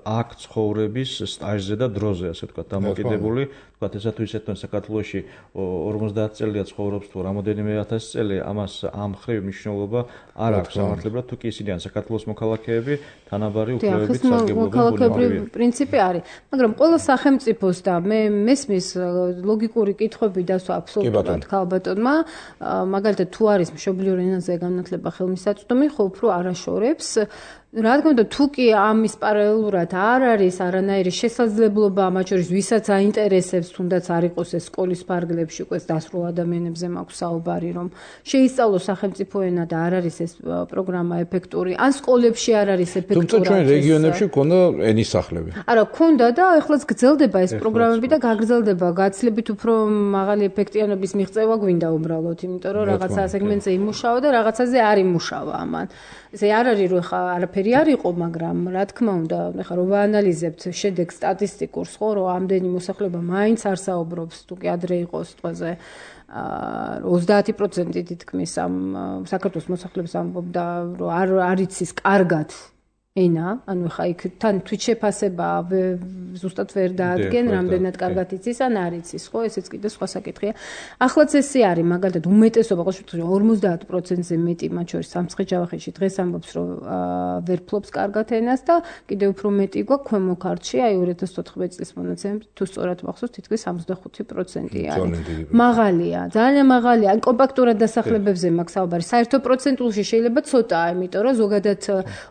აქ ცხოვრების სტაჟზე და დროზე, ასე ვთქვათ, დამოკიდებული. თქვათ, ესა თუ ისე თქვენ საქართველოში 50 წელია ცხოვრობს თუ რამოდენიმე ათასი წელი, ამას ამ ხრივ მნიშვნელობა არ აქვს სამართლებრივად, თუ კი ისინი ან საქართველოს მოქალაქეები, თანაბარი უფლებებით მოქალაქეობრივი პრინციპი არის. მაგრამ ყველა სახელმწიფოს და მე მესმის ლოგიკური კითხვები დასვა აბსოლუტურად ქალბატონმა, მაგალითად თუ არის მშობლიურ ენაზე განათლება ხელმისაწვდომი, ხო უფრო არაშორებს. რა თქმა უნდა, თუ კი ამის პარალელურად არ არის არანაირი შესაძლებლობა, მათ შორის ვისაც აინტერესებს, თუნდაც არ იყოს ეს სკოლის ფარგლებში, უკვე დასრულ ადამიანებზე მაქვს საუბარი, რომ შეისწავლოს სახელმწიფო ენა და არ არის ეს პროგრამა ეფექტური, ან სკოლებში არ არის ეფექტური. თუმცა ჩვენ რეგიონებში გქონდა ენის სახლები. არა, გქონდა და ახლაც გრძელდება ეს პროგრამები და გაგრძელდება. გაცილებით უფრო მაღალი ეფექტიანობის მიღწევა გვინდა უბრალოდ, იმიტომ რომ რაღაცა სეგმენტზე იმუშავა და რაღაცაზე არ იმუშავა ამან. ესე არ არის რომ ხა არაფერი არ იყო, მაგრამ რა თქმა უნდა, ხა რომ ვაანალიზებთ შედეგს სტატისტიკურს, ხო, რომ ამდენი მოსახლეობა მაინც არ საუბრობს, თუ კი ადრე იყო სიტყვაზე 30% თითქმის ამ საქართველოს მოსახლეობის ამბობდა, რომ არ იცის კარგად ენა, ანუ ხა იქ თან თვით შეფასება ზუსტად ვერ დაადგენ, რამდენად კარგად იცის ან არ იცის, ხო, ესეც კიდე სხვა საკითხია. ახლაც ესე არის, მაგალითად, უმეტესობა, ყოველ შემთხვევაში 50%-ზე მეტი, მათ შორის სამცხე-ჯავახეთში დღეს ამბობს, რომ ვერ ფლობს კარგად ენას და კიდე უფრო მეტი გვაქვს ქვემო ქართლში, აი 2014 წლის მონაცემებით, თუ სწორად მახსოვს, თითქმის 65% არის. მაღალია, ძალიან მაღალია. ან კომპაქტურად დასახლებებზე მაქვს საუბარი. საერთო პროცენტულში შეიძლება ცოტაა, იმიტომ რომ ზოგადად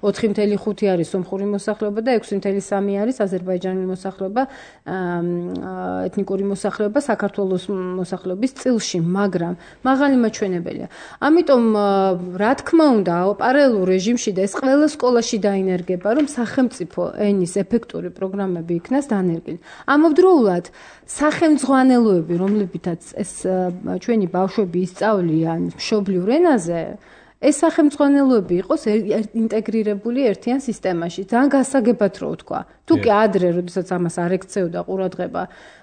4.5 არის სომხური მოსახლეობა და 6.3 არის აზერბაიჯანული მოსახლეობა, ეთნიკური მოსახლეობა საქართველოს მოსახლეობის წილში, მაგრამ მაღალი მაჩვენებელია. ამიტომ რა თქმა უნდა, პარალელურ რეჟიმში და ეს ყველა სკოლაში დაინერგება, რომ სახელმწიფო ენის ეფექტური პროგრამები იქნას დანერგილი. ამავდროულად სახელმძღვანელოები, რომლებითაც ეს ჩვენი ბავშვები ისწავლიან მშობლიურ ენაზე, ეს სახელმძღვანელოები იყოს ინტეგრირებული ერთიან სისტემაში. ძალიან გასაგებად რო ვთქვა. თუ კი ადრე, როდესაც ამას არ ექცეოდა ყურადღება,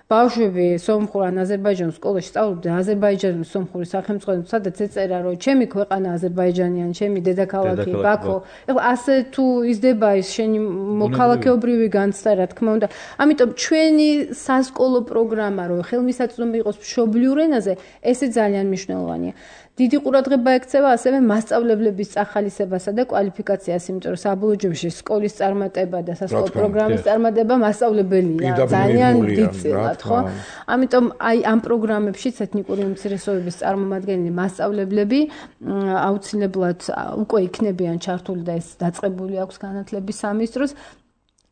ბავშვები სომხურ ან აზერბაიჯანულ სკოლაში სწავლობდა აზერბაიჯანული სომხური სახელმძღვანელო, სადაც ეწერა, რომ ჩემი ქვეყანა აზერბაიჯანი ან ჩემი დედაქალაქი ბაქო. ეხლა ასე თუ იზრდება ის შენი მოქალაქეობრივი განცდა, რა თქმა უნდა. ამიტომ ჩვენი სასკოლო პროგრამა, რომ ხელმისაწვდომი იყოს მშობლიურ ენაზე, ესე ძალიან მნიშვნელოვანია. დიდი ყურადღება ექცევა ასევე მასწავლებლების წახალისებასა და კვალიფიკაციას, იმიტომ რომ საბოლოო ჯამში სკოლის წარმატება და სასკოლო პროგრამის წარმატება მასწავლებელია ძალიან დიდწილად, ხო? ამიტომ აი ამ პროგრამებშიც ეთნიკური უმცირესობების წარმომადგენელი მასწავლებლები აუცილებლად უკვე იქნებიან ჩართული და ეს დაწყებული აქვს განათლების სამინისტროს.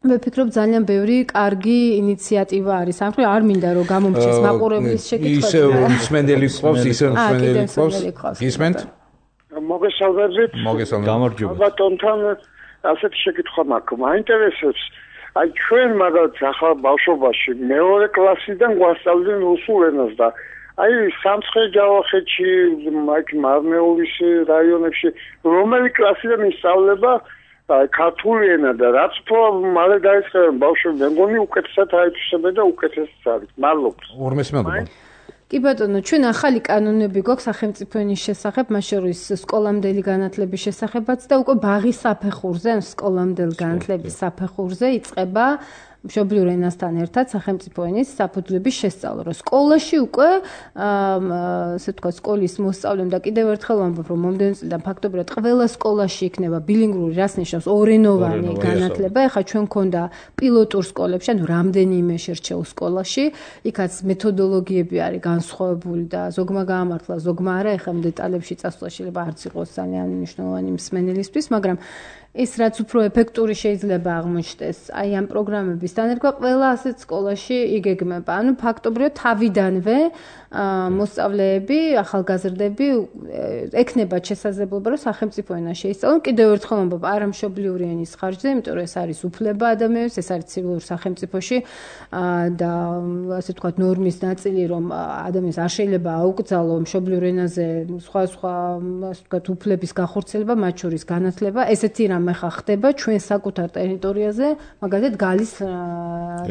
მე ვფიქრობ ძალიან ბევრი კარგი ინიციატივა არის. ამ ხრივ არ მინდა რომ გამომრჩეს მაყურებლის შეკითხვები. ისე მსმენელი ყავს, ისე მსმენელი ყავს. გისმენთ? მოგესალმებით. გამარჯობა. ბატონთან ასეთი შეკითხვა მაქვს. მაინტერესებს აი ჩვენ მაგალითად ახლა ბავშვობაში მეორე კლასიდან გვასწავლდნენ რუსულ ენას და აი სამცხე-ჯავახეთში, მაგ მარნეულის რაიონებში რომელი კლასიდან ისწავლება ქართული ენა და რაც უფრო მალე დაიწყებენ ბავშვები, მე მგონი უკეთესად აითვისებენ და უკეთესად არის. მადლობა. ორმესმადლობა. კი ბატონო, ჩვენ ახალი კანონები გვაქვს სახელმწიფო ენის შესახებ, მათ შორის სკოლამდელი განათლების შესახებაც და უკვე ბაღის საფეხურზე, სკოლამდელი განათლების საფეხურზე იწყება მშობლიურ ენასთან ერთად სახელმწიფო ენის საფუძვლების შესწავლა. რომ სკოლაში უკვე ასე ვთქვათ, სკოლის მოსწავლემ და კიდევ ერთხელ ვამბობ, რომ მომდევნო წლიდან ფაქტობრივად ყველა სკოლაში იქნება ბილინგური, რას ნიშნავს ორენოვანი განათლება. ეხლა ჩვენ მქონდა პილოტურ სკოლებში, ანუ რამდენიმე შერჩეულ სკოლაში, იქაც მეთოდოლოგიები არის განსხვავებული და ზოგმა გაამართლა, ზოგმა არა. ეხლა დეტალებში წასვლა შეიძლება არც იყოს ძალიან მნიშვნელოვანი მსმენელისთვის, მაგრამ ის რაც უფრო ეფექტური შეიძლება აღმოჩნდეს აი ამ პროგრამების დანერგვა ყველა ასეთ სკოლაში იგეგმება. ანუ ფაქტობრივად თავიდანვე მოსწავლეები, ახალგაზრდები ექნებათ შესაძლებლობა, რომ სახელმწიფო ენა შეისწავლონ. კიდევ ერთხელ ვამბობ, არა მშობლიური ენის ხარჯზე, იმიტომ რომ ეს არის უფლება ადამიანის, ეს არის ცივილურ სახელმწიფოში და ასე ვთქვათ, ნორმის ნაწილი, რომ ადამიანს არ შეიძლება აუკრძალო მშობლიურ ენაზე სხვა ასე ვთქვათ, უფლების გახორციელება, მათ შორის განათლება, ესეთი რამე ხა ხდება ჩვენ საკუთარ ტერიტორიაზე, მაგალითად გალის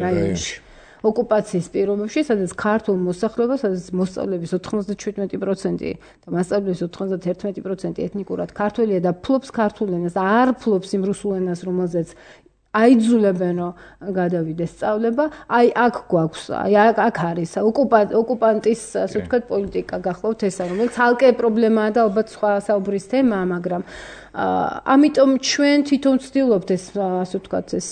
რაიონში. ოკუპაციის პირობებში, სადაც ქართულ მოსახლეობას, სადაც მოსწავლეების 97% და მასწავლებლების 91% ეთნიკურად ქართველია და ფლობს ქართულ ენას და არ ფლობს იმ რუსულ ენას, რომელზეც აიძულებენ რომ გადავიდეს სწავლება, აი აქ გვაქვს, აი აქ არის ოკუპანტის, ასე ვთქვათ, პოლიტიკა გახლავთ ესა, რომელიც ცალკე პრობლემაა და ალბათ სხვა საუბრის თემაა, მაგრამ ამიტომ ჩვენ თვითონ ვცდილობთ ეს, ასე ვთქვათ, ეს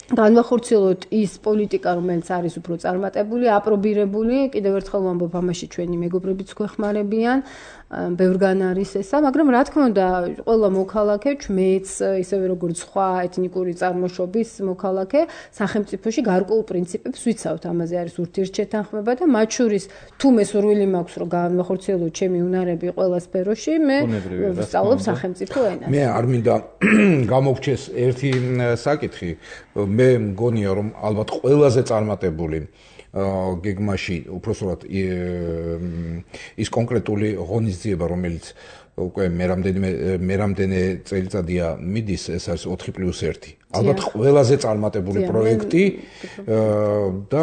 განვახორციელოთ ის პოლიტიკა, რომელიც არის უფრო წარმატებული, აპრობირებული, კიდევ ერთხელ ვამბობ, ამაში ჩვენი მეგობრებიც გვეხმარებიან, ბევრგან არის ესა, მაგრამ რა თქმა უნდა, ყველა მოქალაქე, მეც ისევე როგორც სხვა ეთნიკური წარმოშობის მოქალაქე, სახელმწიფოში გარკვეულ პრინციპებს ვიცავთ, ამაზე არის ურთიერთშეთანხმება და მათ შორის თუ მე სურვილი მაქვს, რომ განვახორციელოთ ჩემი უნარები ყველა სფეროში, მე ვსწავლობ სახელმწიფო ენას. მე არ მინდა გამოგჩეს ერთი საკითხი, მე მგონია რომ ალბათ ყველაზე წარმატებული გეგმაში უпроსტად ის კონკრეტული ღონისძიება, რომელიც უკვე მე რამდენი წელიწადია მიდის, ეს არის 4+1. ალბათ ყველაზე წარმატებული პროექტი და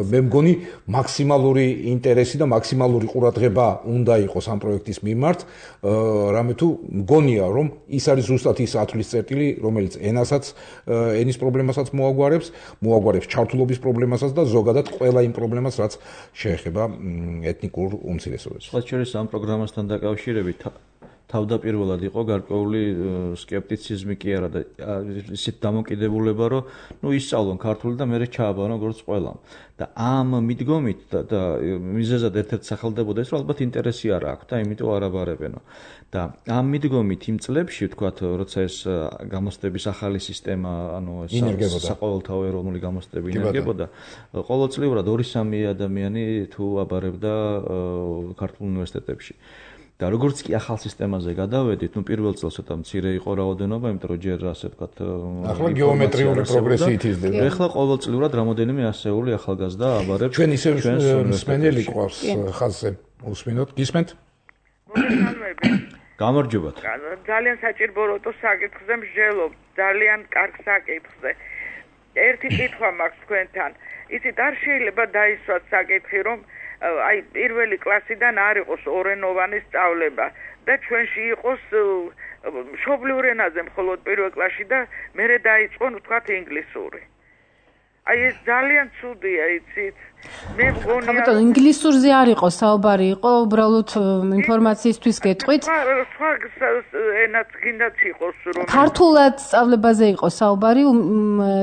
მე მგონი მაქსიმალური ინტერესი და მაქსიმალური ყურადღება უნდა იყოს ამ პროექტის მიმართ, რამე თუ მგონია რომ ის არის ზუსტად ის ათვლის წერტილი, რომელიც ენის პრობლემასაც მოაგვარებს ჩართულობის პრობლემასაც და ზოგადად ყველა იმ პრობლემას, რაც შეეხება ეთნიკურ უმცირესობებს. სხვა შორის ამ პროგრამასთან დაკავშირებით თავდაპირველად იყო გარკვეული სკეპტიციზმი კი არა და ისეთ დამოკიდებულება, რომ ისწავლონ ქართული და მერე ჩააბანონ როგორც ყველამ. და ამ მიდგომით და მიზეზად ერთ-ერთ სახელდებოდა ის, რომ ალბათ ინტერესი არ აქვს და იმიტომ არ აბარებენო. და ამ მიდგომით იმ წლებში, ვთქვათ, როცა ეს გამოცდების ახალი სისტემა, ანუ საყოველთაო ეროვნული გამოცდები ინერგებოდა, ყოველწლიურად 2-3 ადამიანი თუ აბარებდა ქართულ უნივერსიტეტებში. და როგორც კი ახალ სისტემაზე გადავედით, პირველ წელს ცოტა მცირე იყო რაოდენობა, იმიტომ რომ ჯერ ასე ვთქვათ, ახლა გეომეტრიული პროგრესიით იზრდება. ეხლა ყოველწლიურად რამოდენიმე ასეული ახალგაზრდა აბარებს. ჩვენ ისე მსმენელი ყავს ხაზზე. უსმინოთ, გისმენთ? გამარჯობათ. ძალიან საჭიროა საკითხზე მსჯელობ, ძალიან კარგ საკითხზე. ერთი კითხვა მაქვს თქვენთან. იცით, არ შეიძლება დაისვათ საკითხი, რომ აი პირველი კლასიდან არ იყოს ორენოვანი სწავლება და ჩვენში იყოს მშობლიურ ენაზე მხოლოდ პირველ კლასში და მერე დაიწყონ ვთქვათ ინგლისური. აი ეს ძალიან ცუდია, იცით? მე მგონია ბატონო, ინგლისურზე არ იყო საუბარი, იყო უბრალოდ ინფორმაციისთვის გეტყვით. სხვა ენაც გინდათ იყოს რომ ქართულად სწავლებაზე იყო საუბარი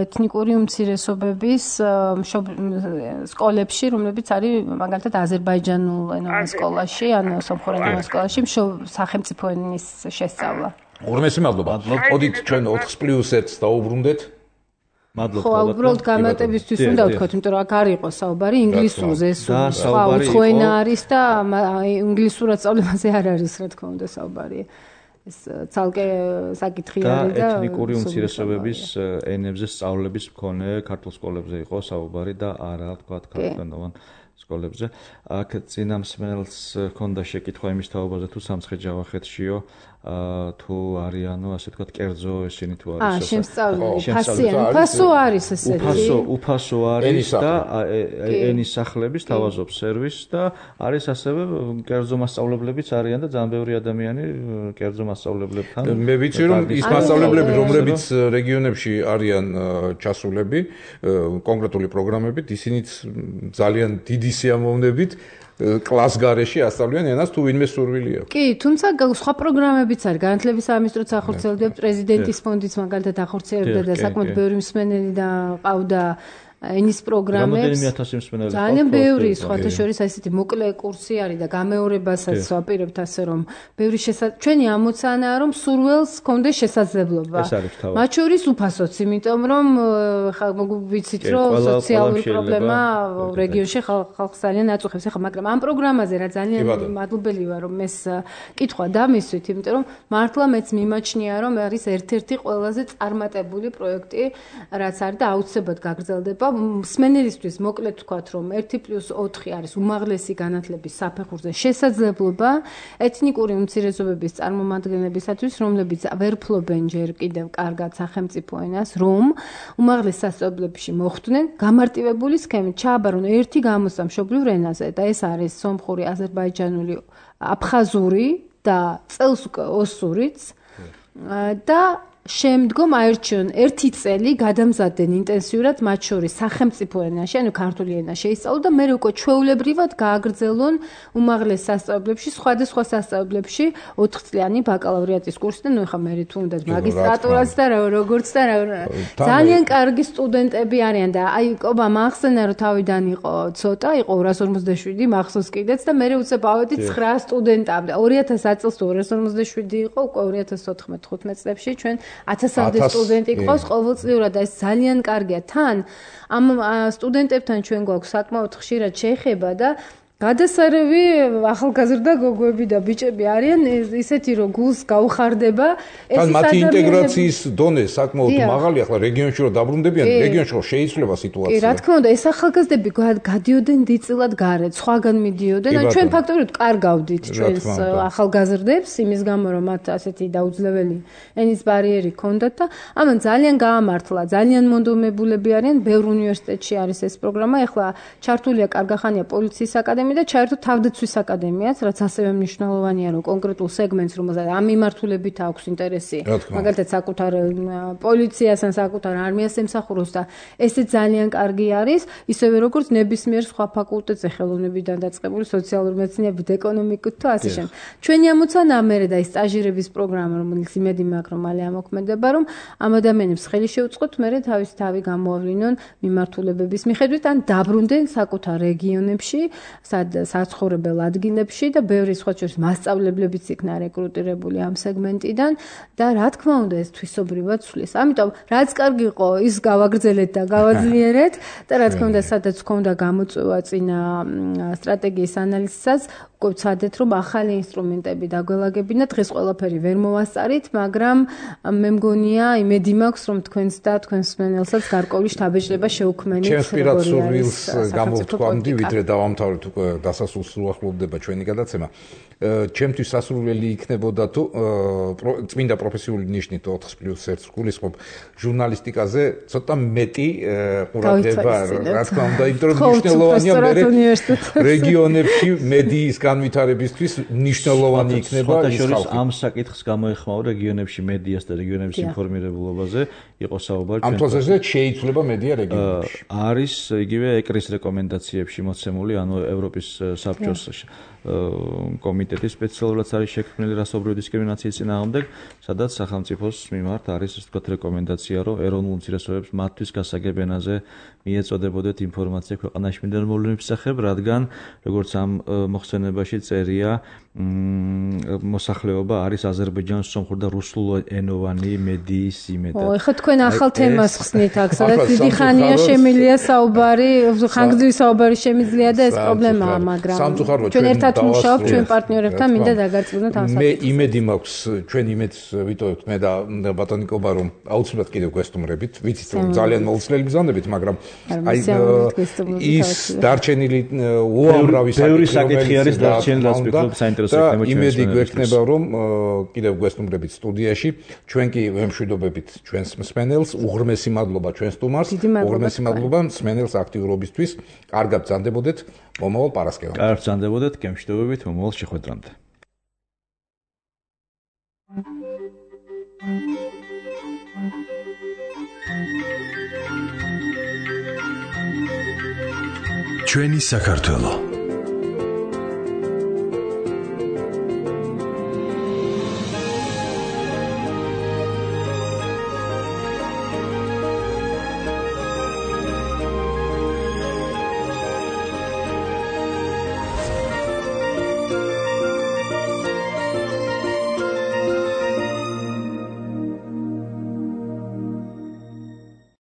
ეთნიკური უმცირესობების სკოლებში, რომლებიც არის მაგალითად აზერბაიჯანულ ენოვან სკოლაში, ანუ სომხურ ენოვან სკოლაში, სახელმწიფო ენის შესწავლა. ორმესი მადლობა. მოდით ჩვენ 4+1-ს დაუბრუნდეთ. მადლობა. ხო, უბრალოდ გამარტებისთვის უნდა ვთქვათ, იმიტომ რომ აქ არ იყო საუბარი ინგლისურზე, ეს სხვა უცხოენა არის და ინგლისურად სწავლებაზე არ არის, რა თქმა უნდა, საუბარი. ეს ცალკე საკითხი არის და ეთნიკური უმცირესობების ენებზე სწავლების მქონე ქართულ სკოლებზე იყო საუბარი და არა, თქვათ, ქართულენოვან სკოლებზე. აქ წინა მსმენელს ჰქონდა შეკითხვა იმის თაობაზე თუ სამცხე-ჯავახეთშიო თუ არიანო, ასე ვთქვათ, კერძო ესენი თუ არის. უფასო არის ესეთი. უფასო არის და ენის სახლების თავაზობს სერვისს და არის ასევე კერძო მასწავლებლებიც არიან და ძალიან ბევრი ადამიანი კერძო მასწავლებლებთან. მე ვიცი რომ ის მასწავლებლები, რომლებიც რეგიონებში არიან ჩასულები კონკრეტული პროგრამებით, ისინიც ძალიან დიდი სიამოვნებით კლას გარეშე ასწავლიან ენას თუ ვინმე სურვილი აქვს. კი, თუმცა სხვა პროგრამებიც არის. განათლების სამინისტროც ახორციელებდა, პრეზიდენტის ფონდიც მაგალითად ახორციელებდა და საკმაოდ ბევრი მსმენელი და ყავდა ენის პროგრამებს. ძალიან ბევრი, სხვათა შორის ესეთი მოკლე კურსი არის და გამეორებასაც ვაპირებთ ასე რომ ბევრი ჩვენი ამოცანაა რომ სურველს ჰქონდეს შესაძლებლობა. მათ შორის უფასოც, იმიტომ რომ ხა ვიცით რომ სოციალური პრობლემა რეგიონში ხალხს ძალიან აწუხებს. ახლა მაგრამ ამ პროგრამაზე რა ძალიან მადლობელი ვარ რომ ეს კითხვა დამისვით, იმიტომ რომ მართლა მეც მიმაჩნია რომ არის ერთ-ერთი ყველაზე წარმატებული პროექტი, რაც არის და აუცილებლად გაგრძელდება. მსმენელისთვის მოკლედ ვთქვათ, რომ 1+4 არის უმაღლესი განათლების საფეხურზე შესაძლებლობა ეთნიკური უმცირესობების წარმომადგენლებისათვის, რომლებიც ვერ ფლობენ ჯერ კიდევ კარგად სახელმწიფო ენას, რომ უმაღლეს სასწავლებლებში მოხვდნენ გამარტივებული სქემით, ჩააბარონ ერთი გამოსა მშობლიურ ენაზე და ეს არის სომხური, აზერბაიჯანული, აფხაზური და წელს უკვე ოსურიც და შემდგომ აერჩიონ ერთი წელი გადამზადდნენ ინტენსიურად მათ შორის სახელმწიფო ენაში, ანუ ქართული ენა შეისწავლონ და მერე უკვე ჩვეულებრივად გააგრძელონ უმაღლეს სასწავლებლებში, სხვადასხვა სასწავლებლებში 4 წლიანი ბაკალავრიატის კურსი და ნუ ხა მერე თუ უნდა მაგისტრატურაც და როგორც და ძალიან კარგი სტუდენტები არიან და აი ყობა მახსენა რომ თავიდან იყო ცოტა, იყო 257 მახსოვს კიდეც და მერე უცებ ავედი 9 სტუდენტამდე. 2000 წელს 257 იყო, უკვე 2014-15 წლებში ჩვენ 1000-მდე სტუდენტი ყავს ყოველწლიურად და ეს ძალიან კარგია. თან ამ სტუდენტებთან ჩვენ გვაქვს საკმაოდ ხშირად შეხება და გადასარევი ახალგაზრდა გოგოები და ბიჭები არიან ისეთი რომ გულს გაუხარდება ეს მათი ინტეგრაციის დონე საკმაოდ მაღალი. ახლა რეგიონში რომ დაბრუნდებიან, რეგიონში რომ შეიცვლება სიტუაცია. კი, რა თქმა უნდა, ეს ახალგაზრდები გადიოდნენ დიდწილად გარეთ, სხვაგან მიდიოდნენ. ან ჩვენ ფაქტობრივად კარგავდით ჩვენს ახალგაზრდებს იმის გამო რომ მათ ასეთი დაუძლეველი ენის ბარიერი ჰქონდათ და ამან ძალიან გაამართლა, ძალიან მონდომებულები არიან. ბევრ უნივერსიტეტში არის ეს პროგრამა. ახლა ჩართულია კარგახანია პოლიციის აკადემია და ჩაერთო თავდაცვის აკადემიაც, რაც ასევე მნიშვნელოვანია, რომ კონკრეტულ სეგმენტს, რომელსაც ამ მიმართულებით აქვს ინტერესი, მაგალითად საკუთარ პოლიციას ან საკუთარ არმიას ემსახუროს და ესე ძალიან კარგი არის, ისევე როგორც ნებისმიერ სხვა ფაკულტეტზე ხელოვნებიდან დაწყებული სოციალური მეცნიერებით, ეკონომიკით თუ ასე შემდეგ. ჩვენი ამოცანაა მერე და ის სტაჟირების პროგრამა, რომელიც იმედი მაქვს, რომ მალე ამოქმედება, რომ ამ ადამიანებს ხელი შეუწყოთ, მერე თავის თავი გამოავლინონ მიმართულებების მიხედვით ან დაბრუნდნენ საკუთარ რეგიონებში, საცხოვრებელ ადგილებში და ბევრი სხვა შორის მასწავლებლებიც იქნა რეკრუტირებული ამ სეგმენტიდან და რა თქმა უნდა ეს თვისობრივად სulis. ამიტომ რაც კარგი იყო ის გავაგრძელეთ და გავაძლიერეთ და რა თქმა უნდა სადაც ჰქონდა გამოწვევა წინა სტრატეგიის ანალიზსაც უკვე ვცადეთ რომ ახალი ინსტრუმენტები დაგველაგებინა. დღეს ყველაფერი ვერ მოვასწარით, მაგრამ მე მგონია იმედი მაქვს რომ თქვენს და თქვენს მსმენელსაც გარკვეული შთაბეჭდება შეუქმნით. ჩემს პირად სურვილს გამოვთქვამდი, ვიდრე დავამთავრეთ უკვე დასასრულს უახლოვდება ჩვენი გადაცემა. ჩემთვის სასურველი იქნებოდა თუ წმინდა პროფესიული ნიშნით 4+1 გულისხმობ ჟურნალისტიკაზე ცოტა მეტი ყურადღება, რა თქმა უნდა, იმიტომ რომ მნიშვნელოვანია რეგიონებში მედიის განვითარებისთვის მნიშვნელოვანი იქნება ის ხალხი. ამ საკითხს გამოეხმაო რეგიონებში მედიას და რეგიონების ინფორმირებულობაზე იყო საუბარი. ამ თვალსაზრისით შეიცვლება მედია რეგიონებში. არის იგივე ეკრის რეკომენდაციებში მოცემული, ანუ ევროპის ევროპის საბჭოს კომიტეტის სპეციალურად არის შექმნილი რასობრივი დისკრიმინაციის წინააღმდეგ, სადაც სახელმწიფოს მიმართ არის ასე ვთქვათ რეკომენდაცია, რომ ეროვნულ უმცირესობებს მათთვის გასაგებ ენაზე მიეწოდებოდეთ ინფორმაცია ქვეყანაში მიმდინარე მოვლენების შესახებ, რადგან როგორც ამ მოხსენებაში წერია, მოსახლეობა არის აზერბაიჯანის სომხურ და რუსულენოვანი მედიის იმედად. ეხლა თქვენ ახალ თემას ხსნით აქ, სადაც დიდი ხანია შემილია საუბარი, ხანგრძლივი საუბარი შემიძლია და ეს პრობლემაა, მაგრამ ჩვენ ერთად მუშაობთ ჩვენ პარტნიორებთან, მინდა დაგარწმუნოთ ამ საკითხს. მე იმედი მაქვს, ჩვენ იმედს ვიტოვებთ მე და ბატონი კობა, რომ აუცილებლად კიდევ გვესტუმრებით, ვიცით რომ ძალიან მოუცლელი ბრძანდებით, მაგრამ აი ის დარჩენილი უამრავი საკითხი არის დარჩენილი, რაც ვფიქრობ საინტერესო იქნება ჩვენს იმედი გვექნება, რომ კიდევ გვესტუმრებით სტუდიაში, ჩვენ კი ვემშვიდობებით ჩვენს მსმენელს, უღრმესი მადლობა ჩვენ სტუმარს, უღრმესი მადლობა მსმენელს აქტიურობისთვის. კარგად ბრძანდებოდეთ მომავალ პარასკევამდე. კარგად ბრძანდებოდეთ, გემშვიდობებით მომავალ შეხვედრამდე. ჩვენი საქართველო